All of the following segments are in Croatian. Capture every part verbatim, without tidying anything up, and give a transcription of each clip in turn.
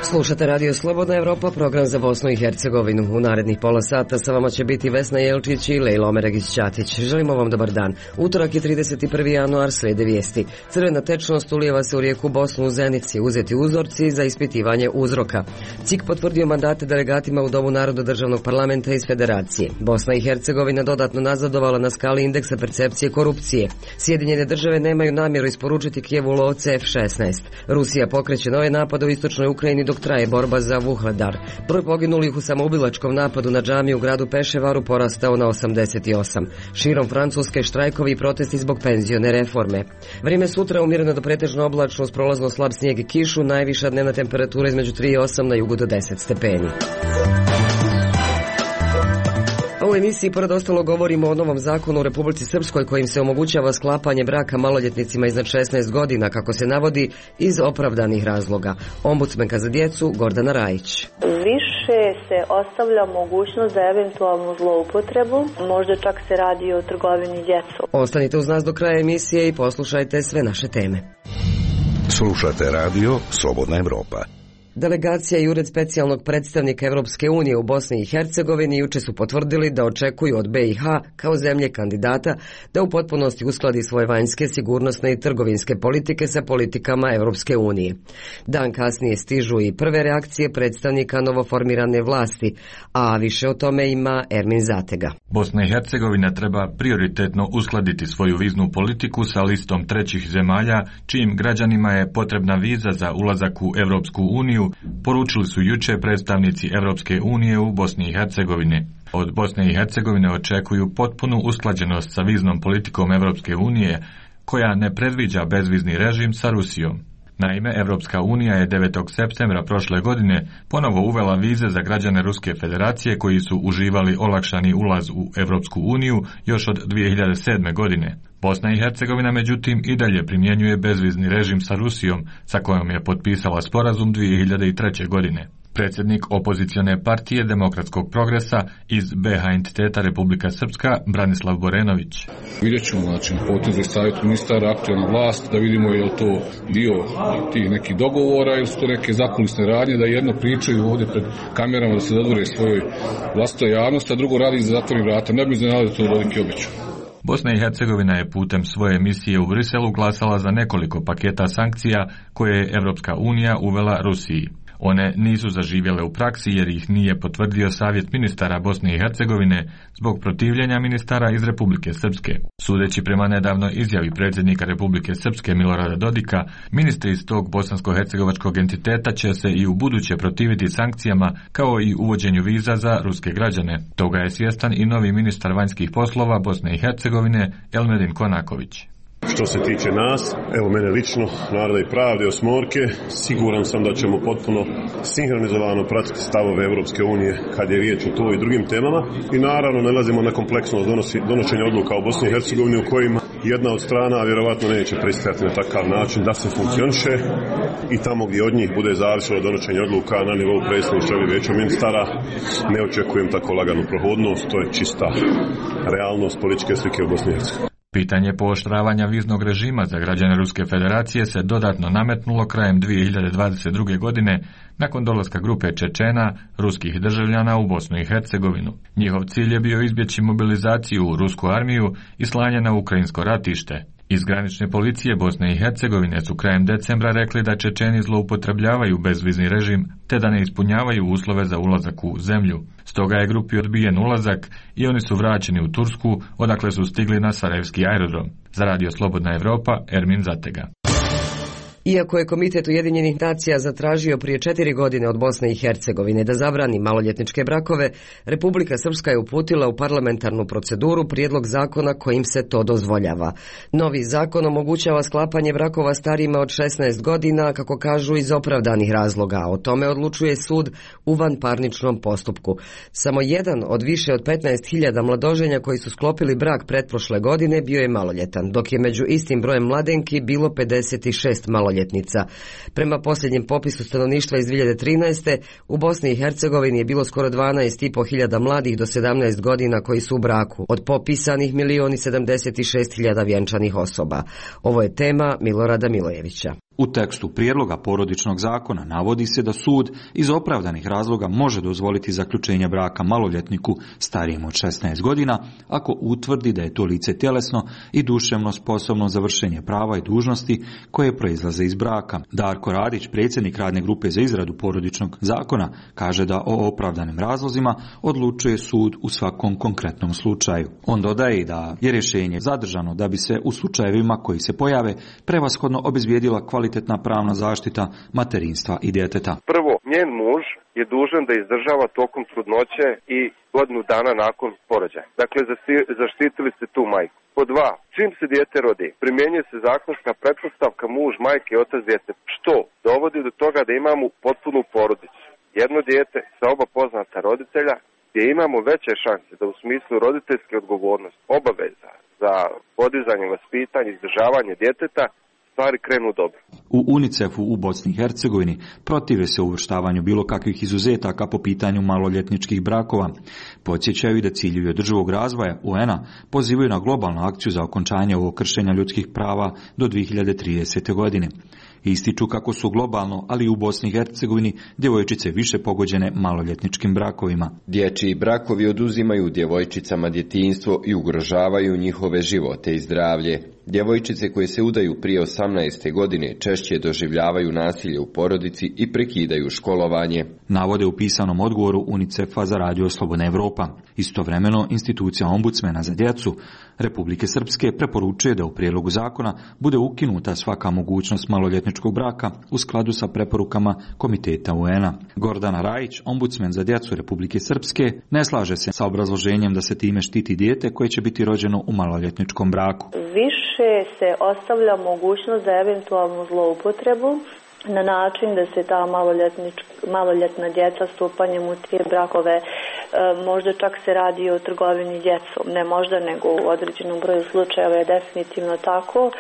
Slušate Radio Slobodna Evropa, program za Bosnu i Hercegovinu. U narednih pola sata sa vama će biti Vesna Jelčić i Lejla Omeregić-Ćatić. Želimo vam dobar dan. Utorak je trideset prvi januar, slijede vijesti. Crvena tečnost ulijeva se u rijeku Bosnu u Zenici, uzeti uzorci za ispitivanje uzroka. C I K potvrdio mandate delegatima u Domu naroda državnog parlamenta iz Federacije. Bosna i Hercegovina dodatno nazadovala na skali indeksa percepcije korupcije. Sjedinjene države nemaju namjeru isporučiti Kijevu lovce F šesnaest. Rusija pokreće nove napade u istočnoj Ukrajini dok traje borba za Vuhledar. Broj poginulih u samoubilačkom napadu na džamiju u gradu Peševaru porastao na osamdeset osam. Širom Francuske štrajkovi i protesti zbog penzione reforme. Vrijeme sutra umjereno do pretežno oblačno uz prolazno slab snijeg i kišu, najviša dnevna temperatura između tri i osam, na jugu do deset stepeni. U emisiji pored ostalo govorimo o novom zakonu u Republici Srpskoj kojim se omogućava sklapanje braka maloljetnicima iznad šesnaest godina, kako se navodi, iz opravdanih razloga. Ombudsmenka za djecu Gordana Rajić. Više se ostavlja mogućnost za eventualnu zloupotrebu, možda čak se radi o trgovini djecom. Ostanite uz nas do kraja emisije i poslušajte sve naše teme. Slušate Radio Slobodna Evropa. Delegacija i Ured specijalnog predstavnika Europske unije u Bosni i Hercegovini juče su potvrdili da očekuju od B i H kao zemlje kandidata da u potpunosti uskladi svoje vanjske, sigurnosne i trgovinske politike sa politikama Europske unije. Dan kasnije stižu i prve reakcije predstavnika novoformirane vlasti, a više o tome ima Ermin Zatega. Bosna i Hercegovina treba prioritetno uskladiti svoju viznu politiku sa listom trećih zemalja čijim građanima je potrebna viza za ulazak u Europsku uniju, poručili su juče predstavnici Europske unije u Bosni i Hercegovini. Od Bosne i Hercegovine očekuju potpunu usklađenost sa viznom politikom Europske unije, koja ne predviđa bezvizni režim sa Rusijom. Naime, Europska unija je devetog septembra prošle godine ponovo uvela vize za građane Ruske federacije koji su uživali olakšani ulaz u Europsku uniju još od dvije hiljade sedme. godine. Bosna i Hercegovina međutim i dalje primjenjuje bezvizni režim sa Rusijom, sa kojom je potpisala sporazum dvije hiljade treće. godine. Predsjednik opozicione partije Demokratskog progresa iz B H entiteta Republika Srpska, Branislav Borenović. Vidjet ćemo, znači, potez savjet ministara, aktualna vlast, da vidimo je li to dio tih nekih dogovora ili su to neke zakulisne radnje, da jedno pričaju ovdje pred kamerama da se dodvore svojoj vlastitoj javnosti, a drugo radi za zatvorenih vrata. Ne bi iznenadilo da to veliki obeću. Bosna i Hercegovina je putem svoje misije u Briselu glasala za nekoliko paketa sankcija koje je Europska unija uvela Rusiji. One nisu zaživjele u praksi jer ih nije potvrdio Savjet ministara Bosne i Hercegovine zbog protivljenja ministara iz Republike Srpske. Sudeći prema nedavnoj izjavi predsjednika Republike Srpske Milorada Dodika, ministri iz tog bosansko-hercegovačkog entiteta će se i u buduće protiviti sankcijama kao i uvođenju viza za ruske građane. Toga je svjestan i novi ministar vanjskih poslova Bosne i Hercegovine Elmedin Konaković. Što se tiče nas, evo mene lično, Naroda i pravde, Osmorke, siguran sam da ćemo potpuno sinhronizovano pratiti stavove Europske unije kad je riječ o to i drugim temama i naravno nalazimo na kompleksnost donosi, donošenja odluka u Bosni i Hercegovini u kojima jedna od strana vjerovatno neće pristajati na takav način da se funkcioniše i tamo gdje od njih bude zavisilo donošenje odluka na nivou predsjedništva ili vijeća ministara, ne očekujem tako laganu prohodnost, to je čista realnost političke slike u Bosni i Hercegovini. Pitanje pooštravanja viznog režima za građane Ruske federacije se dodatno nametnulo krajem dvije hiljade dvadeset druge. godine nakon dolaska grupe Čečena, ruskih državljana u Bosnu i Hercegovinu. Njihov cilj je bio izbjeći mobilizaciju u rusku armiju i slanje na ukrajinsko ratište. Iz granične policije Bosne i Hercegovine su krajem decembra rekli da Čečeni zloupotrebljavaju bezvizni režim te da ne ispunjavaju uslove za ulazak u zemlju. Stoga je grupi odbijen ulazak i oni su vraćeni u Tursku, odakle su stigli na Sarajevski aerodrom. Za Radio Slobodna Evropa, Ermin Zatega. Iako je Komitet Ujedinjenih nacija zatražio prije četiri godine od Bosne i Hercegovine da zabrani maloljetničke brakove, Republika Srpska je uputila u parlamentarnu proceduru prijedlog zakona kojim se to dozvoljava. Novi zakon omogućava sklapanje brakova starijima od šesnaest godina, kako kažu, iz opravdanih razloga. O tome odlučuje sud u vanparničnom postupku. Samo jedan od više od petnaest hiljada mladoženja koji su sklopili brak pretprošle godine bio je maloljetan, dok je među istim brojem mladenki bilo pedeset šest maloljetnika. Prema posljednjem popisu stanovništva iz dvije hiljade trinaeste. u Bosni i Hercegovini je bilo skoro dvanaest i po hiljada mladih do sedamnaest godina koji su u braku, od popisanih milion sedamdeset šest hiljada vjenčanih osoba. Ovo je tema Milorada Milojevića. U tekstu prijedloga porodičnog zakona navodi se da sud iz opravdanih razloga može dozvoliti zaključenje braka maloljetniku starijem od šesnaest godina ako utvrdi da je to lice tjelesno i duševno sposobno za vršenje prava i dužnosti koje proizlaze iz braka. Darko Radić, predsjednik radne grupe za izradu porodičnog zakona, kaže da o opravdanim razlozima odlučuje sud u svakom konkretnom slučaju. On dodaje da je rješenje zadržano da bi se u slučajevima koji se pojave prevashodno obezbijedila kvalitetna pravna zaštita materinstva i djeteta. Prvo, njen muž je dužan da izdržava tokom trudnoće i godinu dana nakon porođaja. Dakle, zaštitili ste tu majku. Po dva, čim se dijete rodi, primjenjuje se zakonska pretpostavka muž, majke i otac djece, što dovodi do toga da imamo potpunu porodicu. Jedno dijete sa oba poznata roditelja, gdje imamo veće šanse da u smislu roditeljske odgovornosti, obaveza za podizanje, vaspitanje, izdržavanje djeteta, stvari krenu dobro. U UNICEF-u u Bosni i Hercegovini protive se uvrštavanju bilo kakvih izuzetaka po pitanju maloljetničkih brakova. Podsjećaju da ciljevi održivog razvoja U N-a pozivaju na globalnu akciju za okončanje ovog kršenja ljudskih prava do dvije hiljade tridesete. godine. Ističu kako su globalno, ali i u Bosni i Hercegovini, djevojčice više pogođene maloljetničkim brakovima. Dječji brakovi oduzimaju djevojčicama djetinjstvo i ugrožavaju njihove živote i zdravlje. Djevojčice koje se udaju prije osamnaeste godine češće doživljavaju nasilje u porodici i prekidaju školovanje. Navode u pisanom odgovoru UNICEF-a za Radio Slobodna Evropa. Istovremeno, institucija ombudsmena za djecu Republike Srpske preporučuje da u prijedlogu zakona bude ukinuta svaka mogućnost maloljetničkog braka u skladu sa preporukama Komiteta U N-a. Gordana Rajić, ombudsmen za djecu Republike Srpske, ne slaže se sa obrazloženjem da se time štiti dijete koje će biti rođeno u maloljetničkom braku. Više se ostavlja mogućnost za eventualnu zloupotrebu na način da se ta maloljetna djeca stupanjem u te brakove, e, možda čak se radi o trgovini djecom, ne možda nego u određenom broju slučajeva je definitivno tako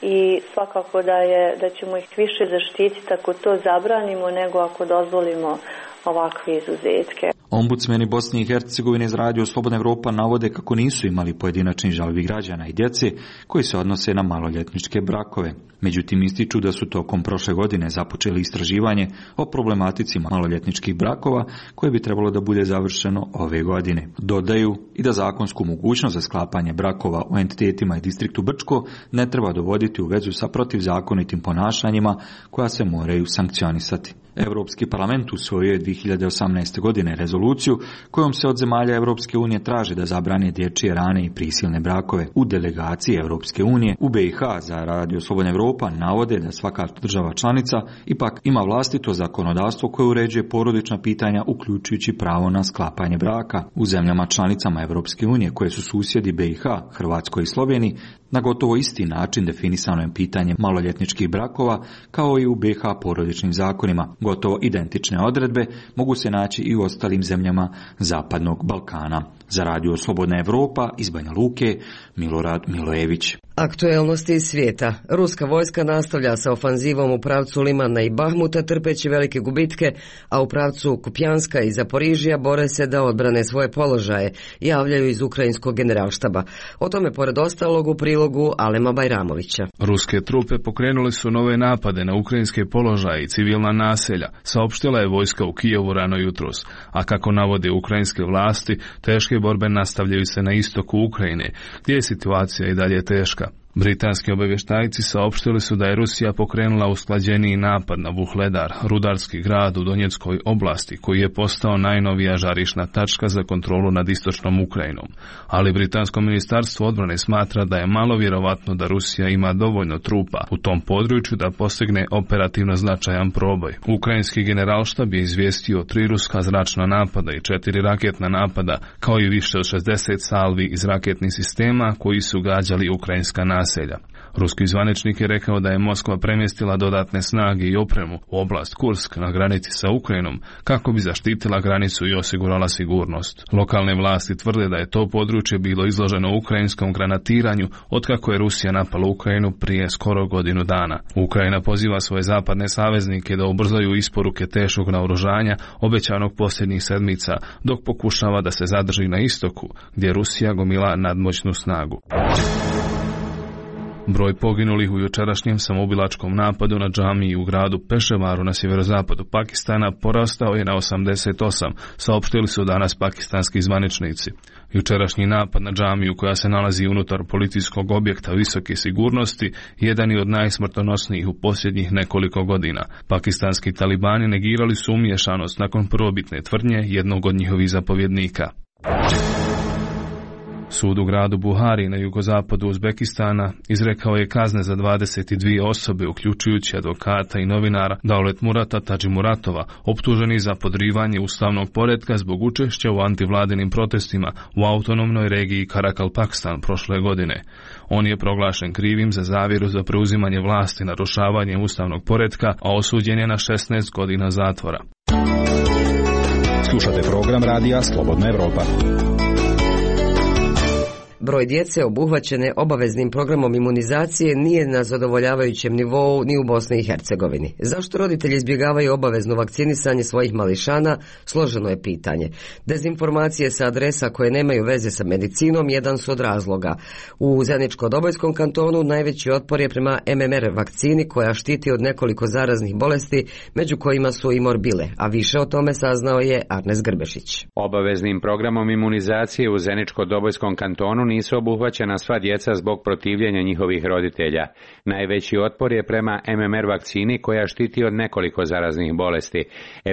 i svakako da, je, da ćemo ih više zaštititi ako to zabranimo nego ako dozvolimo ovakve izuzetke. Ombudsmeni Bosne i Hercegovine iz Radio Slobodna Evropa navode kako nisu imali pojedinačni žalbi građana i djece koji se odnose na maloljetničke brakove. Međutim, ističu da su tokom prošle godine započeli istraživanje o problematici maloljetničkih brakova koje bi trebalo da bude završeno ove godine. Dodaju i da zakonsku mogućnost za sklapanje brakova u entitetima i distriktu Brčko ne treba dovoditi u vezu sa protivzakonitim ponašanjima koja se moraju sankcionisati. Europski parlament usvojio je dvije hiljade osamnaeste. godine rezoluciju kojom se od zemalja Europske unije traži da zabrane dječje rane i prisilne brakove. U delegaciji Europske unije u B i H za Radio Slobodna Evropa navode da svaka država članica ipak ima vlastito zakonodavstvo koje uređuje porodična pitanja uključujući pravo na sklapanje braka. U zemljama članicama Europske unije koje su susjedi B i H, Hrvatskoj i Sloveniji, na gotovo isti način definisano je pitanje maloljetničkih brakova kao i u B i H porodičnim zakonima. Gotovo identične odredbe mogu se naći i u ostalim zemljama Zapadnog Balkana. Za Radio Slobodna Evropa iz Banja Luke, Milorad Milojević. Aktuelnosti iz svijeta. Ruska vojska nastavlja sa ofanzivom u pravcu Limana i Bahmuta trpeći velike gubitke, a u pravcu Kupjanska i Zaporižija bore se da odbrane svoje položaje, javljaju iz ukrajinskog generalštaba. O tome pored ostalog u prilogu Alema Bajramovića. Ruske trupe pokrenuli su nove napade na ukrajinske položaje i civilna naselja, saopštila je vojska u Kijevu rano jutros, a kako navode ukrajinske vlasti, teške borbe nastavljaju se na istoku Ukrajine, gdje je situacija i dalje teška. Britanski obavještajci saopštili su da je Rusija pokrenula usklađeniji napad na Vuhledar, rudarski grad u Donjeckoj oblasti, koji je postao najnovija žarišna tačka za kontrolu nad istočnom Ukrajinom. Ali britansko ministarstvo odbrane smatra da je malo vjerovatno da Rusija ima dovoljno trupa u tom području da postigne operativno značajan proboj. Ukrajinski generalštab je izvijestio tri ruska zračna napada i četiri raketna napada, kao i više od šezdeset salvi iz raketnih sistema koji su gađali ukrajinska naselja. naselja. Ruski zvaničnik je rekao da je Moskva premjestila dodatne snage i opremu u oblast Kursk na granici sa Ukrajinom kako bi zaštitila granicu i osigurala sigurnost. Lokalne vlasti tvrde da je to područje bilo izloženo ukrajinskom granatiranju otkako je Rusija napala Ukrajinu prije skoro godinu dana. Ukrajina poziva svoje zapadne saveznike da ubrzaju isporuke teškog naoružanja obećanog posljednjih sedmica, dok pokušava da se zadrži na istoku, gdje Rusija gomila nadmoćnu snagu. Broj poginulih u jučerašnjem samoubilačkom napadu na džamiji u gradu Peševaru na sjeverozapadu Pakistana porastao je na osamdeset osam, saopštili su danas pakistanski zvaničnici. Jučerašnji napad na džamiju koja se nalazi unutar policijskog objekta visoke sigurnosti jedan je od najsmrtonosnijih u posljednjih nekoliko godina. Pakistanski talibani negirali su umiješanost nakon prvobitne tvrdnje jednog od njihovih zapovjednika. Sud u gradu Buhari na jugozapadu Uzbekistana izrekao je kazne za dvadeset dvije osobe, uključujući advokata i novinara Daulet Murata Tadžimuratova, optuženi za podrivanje ustavnog poretka zbog učešća u antivladinim protestima u autonomnoj regiji Karakalpakstan prošle godine. On je proglašen krivim za zavjeru za preuzimanje vlasti narušavanjem ustavnog poretka, a osuđen je na šesnaest godina zatvora. Slušate program radija Slobodna Evropa. Broj djece obuhvaćene obaveznim programom imunizacije nije na zadovoljavajućem nivou ni u Bosni i Hercegovini. Zašto roditelji izbjegavaju obavezno vakcinisanje svojih mališana, složeno je pitanje. Dezinformacije sa adresa koje nemaju veze sa medicinom jedan su od razloga. U Zeničko-Dobojskom kantonu najveći otpor je prema em em er vakcini koja štiti od nekoliko zaraznih bolesti, među kojima su i morbile, a više o tome saznao je Arnes Grbešić. Obaveznim programom imunizacije u Zeničko-Dobojskom kantonu nisu obuhvaćena sva djeca zbog protivljenja njihovih roditelja. Najveći otpor je prema em em er vakcini koja štiti od nekoliko zaraznih bolesti.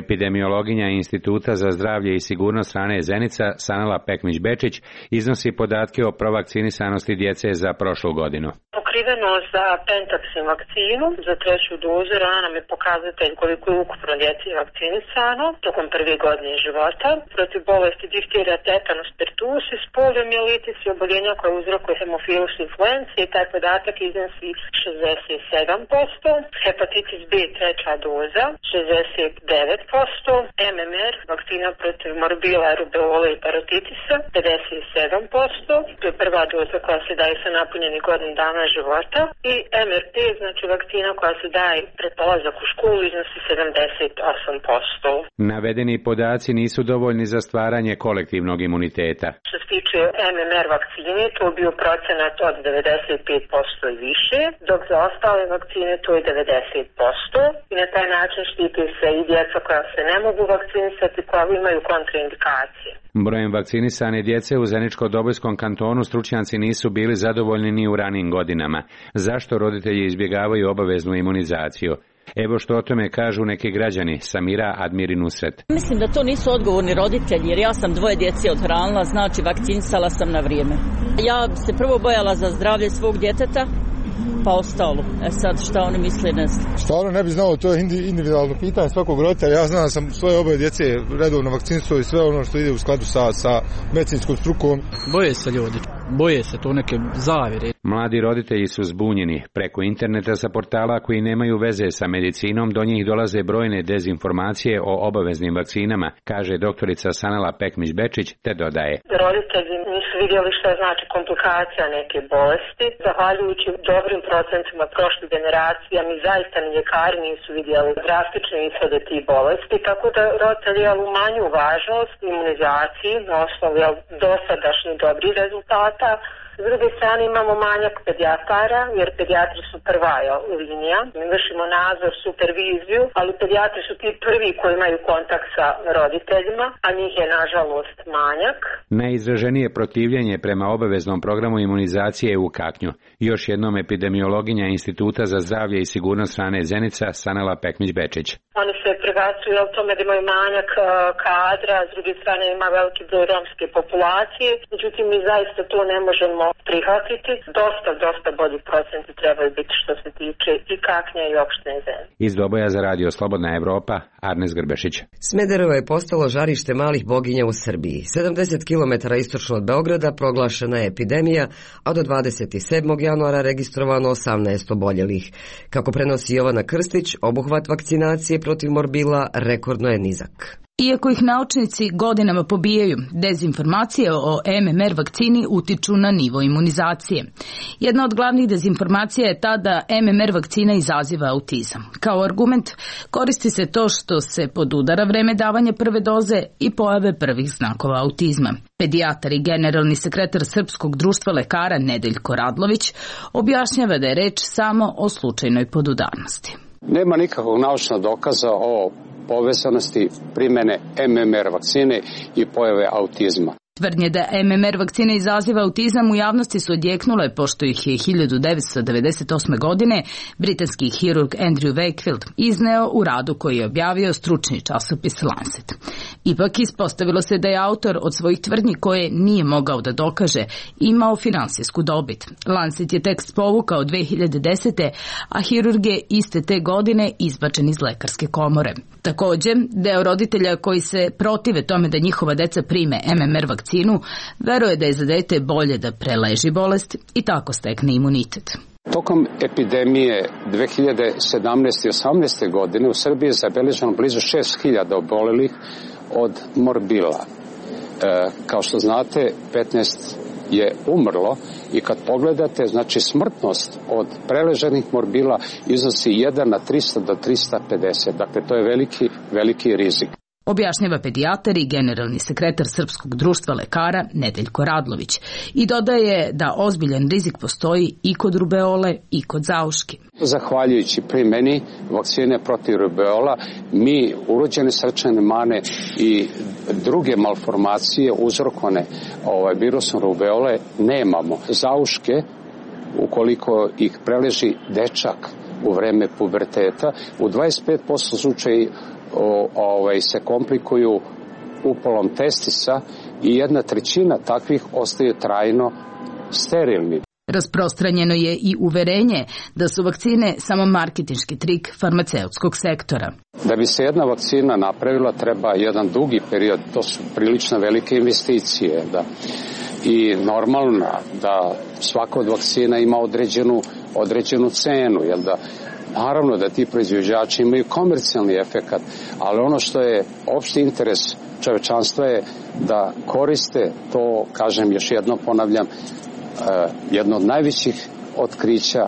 Epidemiologinja Instituta za zdravlje i sigurnost hrane Zenica, Sanela Pekmić-Bečić, iznosi podatke o provakcinisanosti djece za prošlu godinu. Pokrivenost za Pentaxin vakcinu za treću dozu rana nam je pokazatelj koliko je ukupno djece vakcinisano tokom prve godine života. Protiv bolesti difterija, tetanus, pertusis, poliomijelitis i oboljenja koje uzrokuje hemofilus influencije i taj podatak iznosi šezdeset sedam posto, hepatitis B treća doza šezdeset devet posto, em em er vakcina protiv morbila, rubeole i parotitisa pedeset sedam posto, to je prva doza koja se daje sa napunjenih godinu dana života, i em er pe, znači vakcina koja se daje pred polazak u školu, iznosi sedamdeset osam posto. Navedeni podaci nisu dovoljni za stvaranje kolektivnog imuniteta. Što se tiče em em er vakcine, to je bio procenat od devedeset pet posto i više, dok za ostale vakcine to je devedeset posto i na taj način štiti se i djeca koja se ne mogu vakcinisati, koja imaju kontraindikacije. Brojem vakcinisane djece u Zeničko-Dobojskom kantonu stručnjaci nisu bili zadovoljni ni u ranim godinama. Zašto roditelji izbjegavaju obaveznu imunizaciju? Evo što o tome kažu neki građani. Samira Admiri Nusret. Mislim da to nisu odgovorni roditelji, jer ja sam dvoje djece odhranila, znači vakcinisala sam na vrijeme. Ja se prvo bojala za zdravlje svog djeteta, pa ostalo. E sad šta oni misle, ne znam. Stvarno ne bi znao, to je individualno pitanje svakog roditelja. Ja znam da sam svoje oboje djece redovno vakcinisao i sve ono što ide u skladu sa, sa medicinskom strukom. Boje se ljudi, boje se to neke zavjere. Mladi roditelji su zbunjeni. Preko interneta sa portala koji nemaju veze sa medicinom do njih dolaze brojne dezinformacije o obaveznim vakcinama, kaže doktorica Sanela Pekmić-Bečić, te dodaje. Roditelji nisu vidjeli šta znači komplikacija neke bolesti. Zahvaljujući dobrim procentima prošle generacije, mi zaista ni ljekari nisu vidjeli drastične ishode tih bolesti, tako da roditelji umanjuju važnost imunizaciji na osnovu dosadašnjih dobrih rezultata. S druge strane imamo manjak pedijatara, jer pedijatri su prva linija. Mi vršimo nadzor, superviziju, ali pedijatri su ti prvi koji imaju kontakt sa roditeljima, a njih je nažalost manjak. Najizraženije protivljenje prema obaveznom programu imunizacije je u Kaknju. Još jednom epidemiologinja Instituta za zdravlje i sigurnost hrane Zenica, Sanela Pekmić-Bečić. Oni se prebacuju o tome da imaju manjak kadra, s druge strane ima veliki broj romske populacije, međutim mi zaista to ne možemo prihvatiti. Dosta, dosta bolji procenti trebaju biti što se tiče i Kaknja i opštine Zenica. Iz Doboja za radio Slobodna Evropa, Arnes Grbešić. Smederevo je postalo žarište malih boginja u Srbiji. sedamdeset kilometara istočno od Beograda proglašena je epidemija, a do dvadeset sedmog januara registrovano osamnaest oboljelih. Kako prenosi Jovana Krstić, obuhvat vakcinacije protiv morbila rekordno je nizak. Iako ih naučnici godinama pobijaju, dezinformacije o M M R vakcini utiču na nivo imunizacije. Jedna od glavnih dezinformacija je ta da M M R vakcina izaziva autizam. Kao argument koristi se to što se podudara vreme davanja prve doze i pojave prvih znakova autizma. Pedijatar i generalni sekretar Srpskog društva lekara Nedeljko Radlović objašnjava da je reč samo o slučajnoj podudarnosti. Nema nikakvog naučnog dokaza o povezanosti primjene M M R vakcine i pojave autizma. Tvrdnje da M M R vakcina izaziva autizam u javnosti su odjeknule pošto ih je hiljadu devetsto devedeset osme. godine britanski hirurg Andrew Wakefield izneo u radu koji je objavio stručni časopis Lancet. Ipak ispostavilo se da je autor od svojih tvrdnji koje nije mogao da dokaže imao finansijsku dobit. Lancet je tekst povukao dve hiljade desete. a hirurg je iste te godine izbačen iz lekarske komore. Također, deo roditelja koji se protive tome da njihova deca prime M M R vakcinu, veruje da je za dete bolje da preleži bolest i tako stekne imunitet. Tokom epidemije dve hiljade sedamnaeste i osamnaeste. godine u Srbiji je zabeleženo blizu šest hiljada obolelih od morbila. E, kao što znate, petnaest je umrlo i kad pogledate, znači smrtnost od preleženih morbila iznosi jedan na trista do trista pedeset. Dakle, to je veliki, veliki rizik. Objašnjava pedijatar i generalni sekretar Srpskog društva lekara Nedeljko Radlović i dodaje da ozbiljan rizik postoji i kod rubeole i kod zauški. Zahvaljujući primjeni vakcine protiv rubeola, mi urođene srčane mane i druge malformacije uzrokovane ovaj, virusom rubeole nemamo. Zauške, ukoliko ih preleži dečak u vreme puberteta, u dvadeset pet posto slučaja O, ovaj, se komplikuju upalom testisa i jedna trećina takvih ostaju trajno sterilni. Rasprostranjeno je i uverenje da su vakcine samo marketinški trik farmaceutskog sektora. Da bi se jedna vakcina napravila treba jedan dugi period, to su prilično velike investicije. Da. I normalno da svaka od vakcina ima određenu, određenu cenu, jel da? Naravno da ti proizvođači imaju komercijalni efekat, ali ono što je opšti interes čovečanstva je da koriste to, kažem još jednom ponavljam, jedno od najvećih otkrića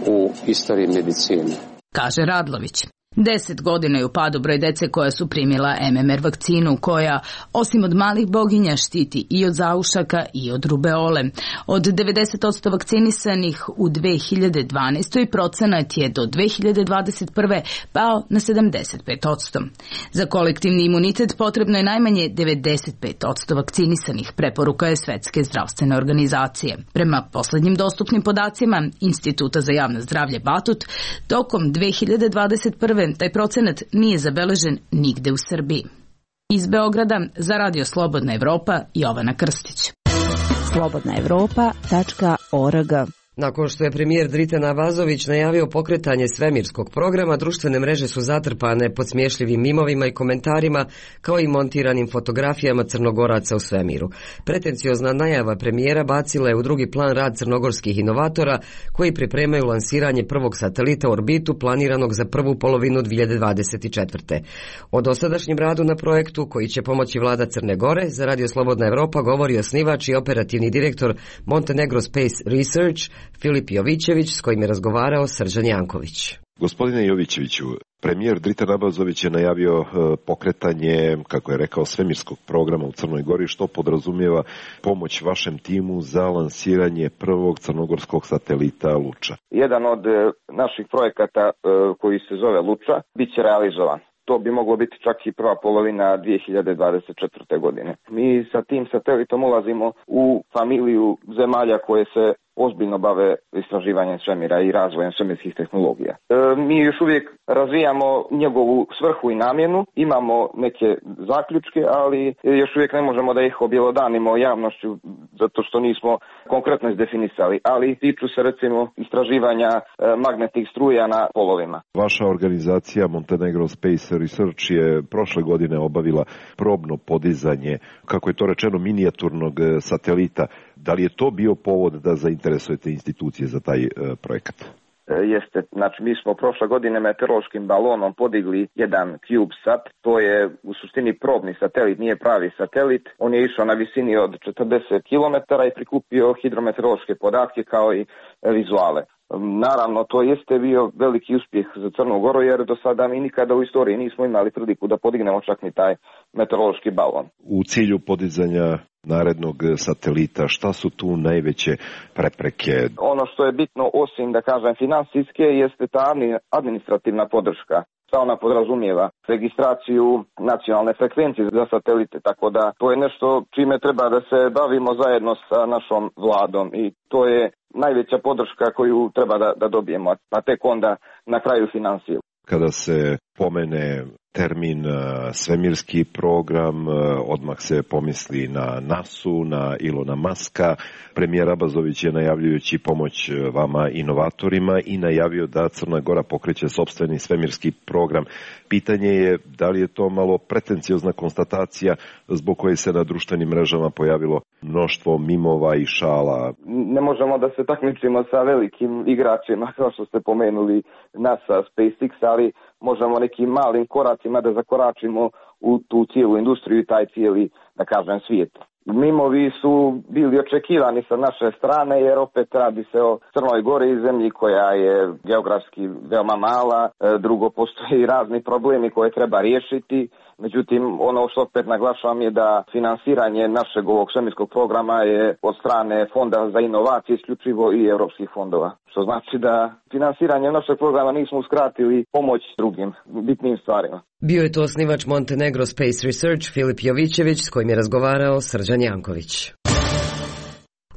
u istoriji medicine. Kaže Radlović. Deset godina je u padu broj dece koja su primila M M R vakcinu, koja, osim od malih boginja, štiti i od zaušaka i od rubeole. Od devedeset posto vakcinisanih u dve hiljade dvanaestoj. procenat je do dve hiljade dvadeset prve. pao na sedamdeset pet posto. Za kolektivni imunitet potrebno je najmanje devedeset pet posto vakcinisanih, preporuka je Svetske zdravstvene organizacije. Prema poslednjim dostupnim podacima Instituta za javno zdravlje Batut, tokom dve hiljade dvadeset prve. taj procenat nije zabeležen nigde u Srbiji. Iz Beograda za Radio Slobodna Evropa, Jovana Krstić. slobodna evropa tačka org. Nakon što je premijer Dritan Abazović najavio pokretanje svemirskog programa, društvene mreže su zatrpane podsmješljivim mimovima i komentarima, kao i montiranim fotografijama Crnogoraca u svemiru. Pretenciozna najava premijera bacila je u drugi plan rad crnogorskih inovatora, koji pripremaju lansiranje prvog satelita u orbitu planiranog za prvu polovinu dvije hiljade dvadeset četvrte. O dosadašnjem radu na projektu, koji će pomoći vlada Crne Gore, za Radio Slobodna Evropa govori osnivač i operativni direktor Montenegro Space Research, Filip Jovićević, s kojim je razgovarao Srđan Janković. Gospodine Jovićeviću, premijer Dritan Abazović je najavio pokretanje, kako je rekao, svemirskog programa u Crnoj Gori, što podrazumijeva pomoć vašem timu za lansiranje prvog crnogorskog satelita Luča. Jedan od naših projekata koji se zove Luča bit će realizovan. To bi moglo biti čak i prva polovina dvije hiljade dvadeset četvrte. godine. Mi sa tim satelitom ulazimo u familiju zemalja koje se ozbiljno bave istraživanjem svemira i razvojem svemirskih tehnologija. E, mi još uvijek razvijamo njegovu svrhu i namjenu, imamo neke zaključke, ali još uvijek ne možemo da ih objelodanimo javnošću zato što nismo konkretno izdefinisali, ali tiču se recimo istraživanja e, magnetnih struja na polovima. Vaša organizacija Montenegro Space Research je prošle godine obavila probno podizanje, kako je to rečeno, minijaturnog satelita. Da li je to bio povod da zainteresujete institucije za taj e, projekat? jeste, znači mi smo prošle godine meteorološkim balonom podigli jedan CubeSat, to je u suštini probni satelit, nije pravi satelit, on je išao na visini od četrdeset kilometara i prikupio hidrometeorološke podatke kao i vizuale. Naravno, to jeste bio veliki uspjeh za Crnu Goru, jer do sada mi nikada u istoriji nismo imali priliku da podignemo čak ni taj meteorološki balon. U cilju podizanja narednog satelita, šta su tu najveće prepreke? Ono što je bitno, osim da kažem finansijske, jeste ta administrativna podrška. Šta ona podrazumijeva? Registraciju nacionalne frekvencije za satelite, tako da to je nešto čime treba da se bavimo zajedno sa našom vladom i to je najveća podrška koju treba da, da dobijemo, a tek onda na kraju finansije. Kada se pomene termin svemirski program, odmah se pomisli na nasu, na Ilona Maska. Premijer Abazović je najavljujući pomoć vama inovatorima i najavio da Crna Gora pokreće sopstveni svemirski program. Pitanje je da li je to malo pretenciozna konstatacija zbog koje se na društvenim mrežama pojavilo mnoštvo mimova i šala. Ne možemo da se takmičimo sa velikim igračima, kao što ste pomenuli NASA, SpaceX, ali možemo nekim malim koracima da zakoračimo u tu cijelu industriju i taj cijeli, da kažem, svijet. Mimovi su bili očekivani sa naše strane, jer opet radi se o Crnoj Gori, zemlji koja je geografski veoma mala, drugo postoji razni problemi koje treba riješiti. Međutim, ono što opet naglašavam je da finansiranje našeg ovog svemirskog programa je od strane Fonda za inovacije isključivo i europskih fondova. Što znači da finansiranje našeg programa nismo uskratili pomoć drugim bitnim stvarima. Bio je to osnivač Montenegro Space Research Filip Jovićević, s kojim je razgovarao Srđan Janković.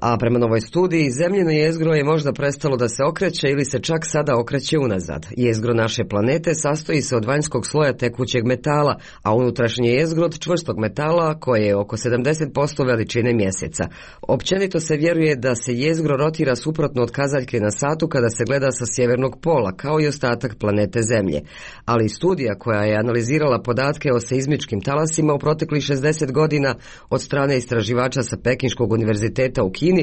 A prema novoj studiji, zemljino jezgro je možda prestalo da se okreće ili se čak sada okreće unazad. Jezgro naše planete sastoji se od vanjskog sloja tekućeg metala, a unutrašnje jezgro od čvrstog metala koje je oko sedamdeset posto veličine mjeseca. Općenito se vjeruje da se jezgro rotira suprotno od kazaljke na satu kada se gleda sa sjevernog pola, kao i ostatak planete Zemlje. Ali studija koja je analizirala podatke o seizmičkim talasima u proteklih šezdeset godina od strane istraživača sa Pekinškog univerziteta u Kini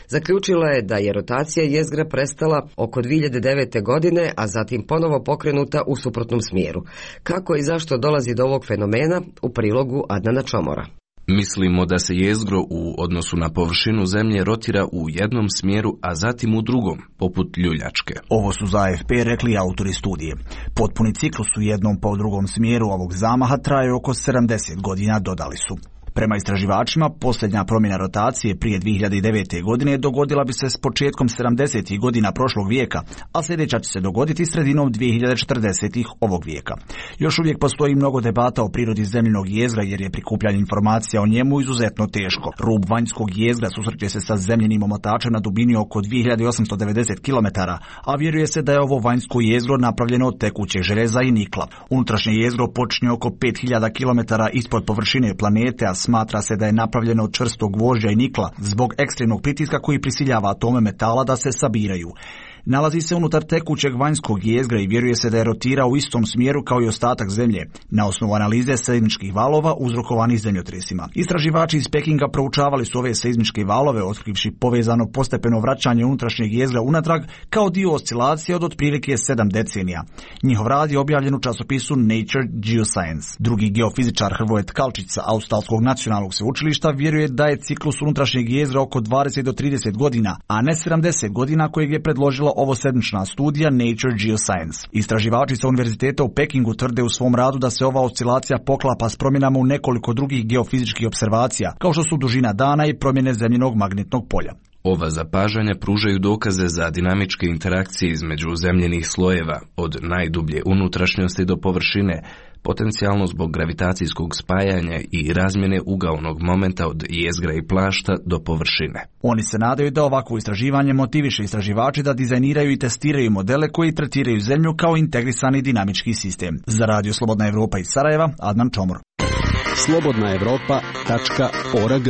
zaključila je da je rotacija jezgra prestala oko dvije hiljade devete. godine, a zatim ponovo pokrenuta u suprotnom smjeru. Kako i zašto dolazi do ovog fenomena, u prilogu Adnana Čomora. Mislimo da se jezgro u odnosu na površinu Zemlje rotira u jednom smjeru, a zatim u drugom, poput ljuljačke. Ovo su za A F P rekli autori studije. Potpuni ciklus u jednom pa u drugom smjeru ovog zamaha traje oko sedamdeset godina, dodali su. Prema istraživačima, posljednja promjena rotacije prije dvije hiljade devete. godine dogodila bi se s početkom sedamdesetih godina prošlog vijeka, a sljedeća će se dogoditi sredinom dvije hiljade četrdesetih. ovog vijeka. Još uvijek postoji mnogo debata o prirodi zemljinog jezgra jer je prikupljanje informacija o njemu izuzetno teško. Rub vanjskog jezgra susreće se sa zemljenim omotačem na dubini oko dvije hiljade osamsto devedeset kilometara, a vjeruje se da je ovo vanjsko jezgro napravljeno od tekućeg željeza i nikla. Unutrašnje jezgro počinje oko pet hiljada kilometara ispod površine planete, a smatra se da je napravljeno od čvrstog gvožđa i nikla zbog ekstremnog pritiska koji prisiljava atome metala da se sabiraju. Nalazi se unutar tekućeg vanjskog jezgra i vjeruje se da je rotira u istom smjeru kao i ostatak Zemlje, na osnovu analize seizmičkih valova uzrokovanih zemljotresima. Istraživači iz Pekinga proučavali su ove seizmičke valove, otkrivši povezano postepeno vraćanje unutrašnjeg jezgra unatrag kao dio oscilacije od otprilike sedam decenija. Njihov rad je objavljen u časopisu Nature Geoscience. Drugi geofizičar Hrvoje Tkalčić sa Australskog nacionalnog sveučilišta vjeruje da je ciklus unutrašnjeg jezgra oko dvadeset do trideset godina, a ne sedamdeset godina kojeg je predložila ovo sedmična studija Nature Geoscience. Istraživači sa univerziteta u Pekingu tvrde u svom radu da se ova oscilacija poklapa s promjenama u nekoliko drugih geofizičkih observacija, kao što su dužina dana i promjene zemljinog magnetnog polja. Ova zapažanja pružaju dokaze za dinamičke interakcije između zemljenih slojeva, od najdublje unutrašnjosti do površine, potencijalno zbog gravitacijskog spajanja i razmjene ugaonog momenta od jezgra i plašta do površine. Oni se nadaju da ovakvo istraživanje motiviše istraživači da dizajniraju i testiraju modele koji tretiraju Zemlju kao integrisani dinamički sistem. Za Radio Slobodna Evropa iz Sarajeva, Adnan Čomor. slobodna evropa tačka org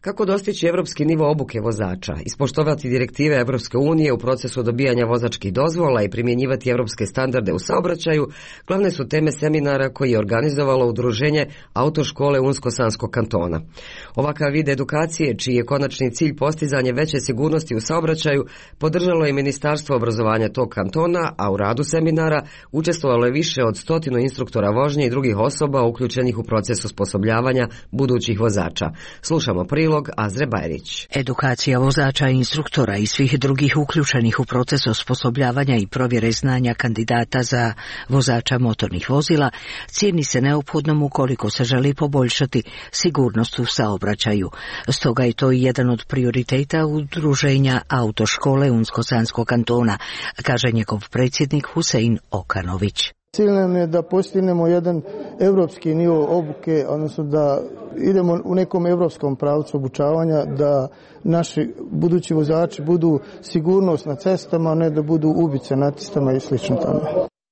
Kako dostići evropski nivo obuke vozača, ispoštovati direktive Evropske unije u procesu dobijanja vozačkih dozvola i primjenjivati evropske standarde u saobraćaju, glavne su teme seminara koji je organizovalo udruženje Autoškole Unsko-Sanskog kantona. Ovakav vid edukacije, čiji je konačni cilj postizanje veće sigurnosti u saobraćaju, podržalo je Ministarstvo obrazovanja tog kantona, a u radu seminara učestvovalo je više od stotinu instruktora vožnje i drugih osoba uključenih u proces osposobljavanja budućih vozača. Slušamo prilog Azre Bajrić. Edukacija vozača i instruktora i svih drugih uključenih u proces osposobljavanja i provjere znanja kandidata za vozača motornih vozila cijeni se neophodnom ukoliko se želi poboljšati sigurnost u saobraćaju. Stoga je to i jedan od prioriteta udruženja Autoškole Unsko-Sanskog kantona, kaže njegov predsjednik Husein Okanović. Cilj nam je da postignemo jedan evropski nivo obuke, odnosno da idemo u nekom evropskom pravcu obučavanja, da naši budući vozači budu sigurnost na cestama, ne da budu ubice na cestama i slično tome.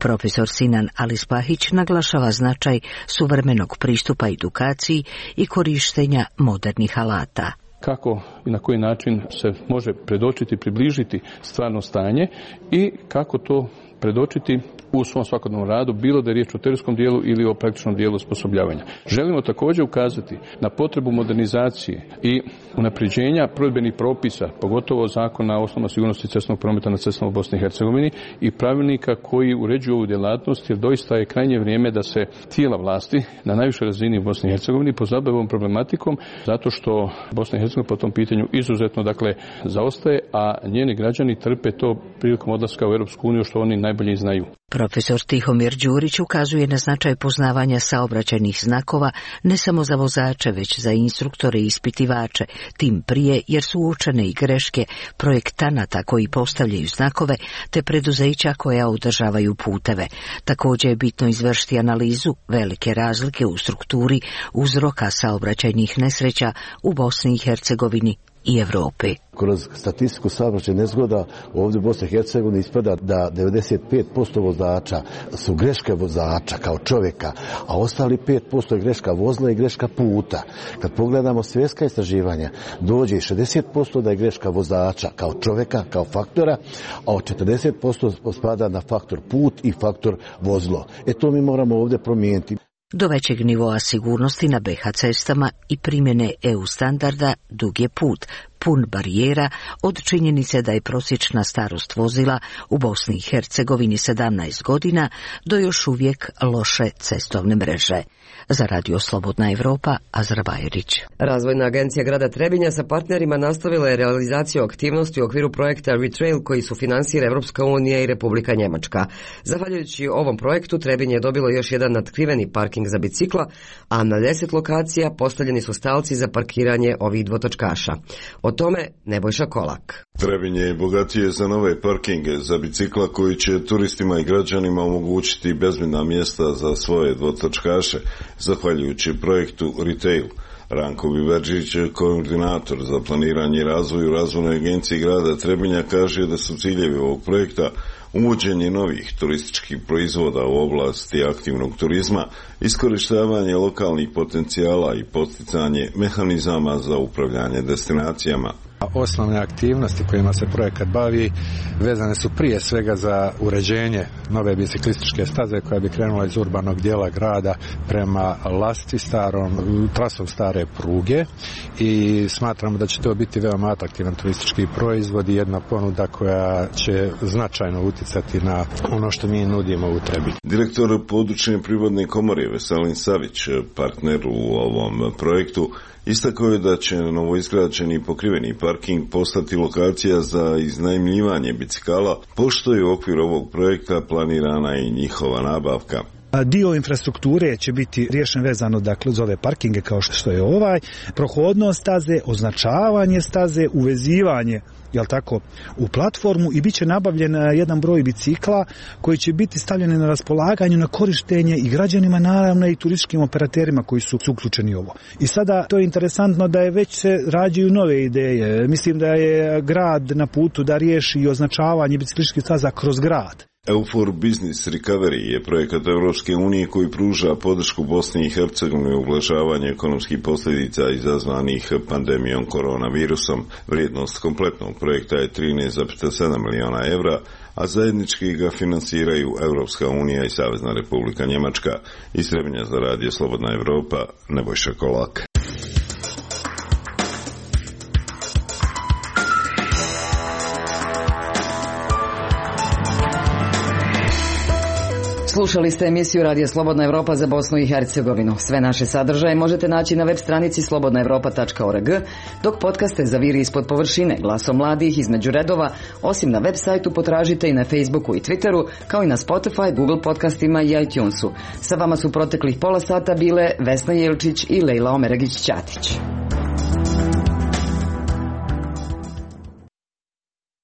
Profesor Sinan Alispahić naglašava značaj suvremenog pristupa edukaciji i korištenja modernih alata. Kako i na koji način se može predočiti, približiti stvarno stanje i kako to predočiti u svom svakodnevnom radu, bilo da je riječ o teorijskom dijelu ili o praktičnom dijelu osposobljavanja. Želimo također ukazati na potrebu modernizacije i unapređenja provedbenih propisa, pogotovo zakona o osnovama sigurnosti cestovnog prometa na cestama u Bosni i Hercegovini i pravilnika koji uređuju ovu djelatnost, jer doista je krajnje vrijeme da se tijela vlasti na najvišoj razini u Bosni i Hercegovini pozabave ovom problematikom, zato što Bosna i Hercegovina po tom pitanju izuzetno dakle zaostaje, a njeni građani trpe to prilikom odlaska u Europsku uniju, što oni najbolje znaju. Profesor Tihomir Đurić ukazuje na značaj poznavanja saobraćajnih znakova ne samo za vozače, već za instruktore i ispitivače, tim prije jer su uočene i greške projektanata koji postavljaju znakove te preduzeća koja održavaju puteve. Također je bitno izvršiti analizu velike razlike u strukturi uzroka saobraćajnih nesreća u Bosni i Hercegovini i Europi. Kroz statistiku saobraćajnih nezgoda ovdje u Bosni i Hercegovini ispada da devedeset pet posto vozača su greške vozača kao čovjeka, a ostali pet posto je greška vozila i greška puta. Kad pogledamo svjetska istraživanja, dođe i šezdeset posto da je greška vozača kao čovjeka, kao faktora, a četrdeset posto spada na faktor put i faktor vozilo. E to mi moramo ovdje promijeniti. Do većeg nivoa sigurnosti na be ha cestama i primjene e u standarda dug je put, pun barijera od činjenice da je prosječna starost vozila u Bosni i Hercegovini sedamnaest godina do još uvijek loše cestovne mreže. Za Radio Slobodna Evropa, Azra Bajerić. Razvojna agencija grada Trebinja sa partnerima nastavila je realizaciju aktivnosti u okviru projekta Retrail koji su finansira Evropska unija i Republika Njemačka. Zahvaljujući ovom projektu Trebinje je dobilo još jedan natkriveni parking za bicikla, a na deset lokacija postavljeni su stalci za parkiranje ovih dvotočkaša. O tome Nebojša Kolak. Trebinje je bogatije za nove parkinge za bicikla koji će turistima i građanima omogućiti bezbjedna mjesta za svoje dvotočkaše, zahvaljujući projektu Retail. Ranko Biberđić, koordinator za planiranje i razvoj u razvojnoj agenciji grada Trebinja, kaže da su ciljevi ovog projekta uvođenje novih turističkih proizvoda u oblasti aktivnog turizma, iskorištavanje lokalnih potencijala i posticanje mehanizama za upravljanje destinacijama. Osnovne aktivnosti kojima se projekat bavi vezane su prije svega za uređenje nove biciklističke staze koja bi krenula iz urbanog dijela grada prema Lasti, starom, trasom stare pruge, i smatramo da će to biti veoma atraktivan turistički proizvod i jedna ponuda koja će značajno utjecati na ono što mi nudimo u Trebinju. Direktor područne privredne komore Veselin Savić, partner u ovom projektu, istakao je da će novoizgrađeni pokriveni parking postati lokacija za iznajmljivanje bicikala, pošto je u okviru ovog projekta planirana i njihova nabavka. Dio infrastrukture će biti riješen vezano dakle za ove parkinge kao što je ovaj, prohodnost staze, označavanje staze, uvezivanje jel tako, u platformu i bit će nabavljen jedan broj bicikla koji će biti stavljeni na raspolaganju na korištenje i građanima, naravno i turističkim operaterima koji su, su uključeni u ovo. I sada to je interesantno da je već se rađaju nove ideje. Mislim da je grad na putu da riješi i označavanje biciklističkih staza kroz grad. EUFOR Business Recovery je projekat Europske unije koji pruža podršku Bosni i Hercegovini u ublažavanju ekonomskih posljedica izazvanih pandemijom koronavirusom. Vrijednost kompletnog projekta je trinaest zarez sedam miliona evra, a zajednički ga finansiraju Europska unija i Savezna Republika Njemačka. Iz Trebinja za radio Slobodna Evropa, Nebojša Kolak. Slušali ste emisiju Radija Slobodna Evropa za Bosnu i Hercegovinu. Sve naše sadržaje možete naći na web stranici slobodna evropa tačka org, dok podcaste za Viri ispod površine, Glasom mladih, Između redova, osim na web sajtu potražite i na Facebooku i Twitteru, kao i na Spotify, Google podcastima i iTunesu. Sa vama su proteklih pola sata bile Vesna Jelčić i Lejla Omeragić-Ćatić.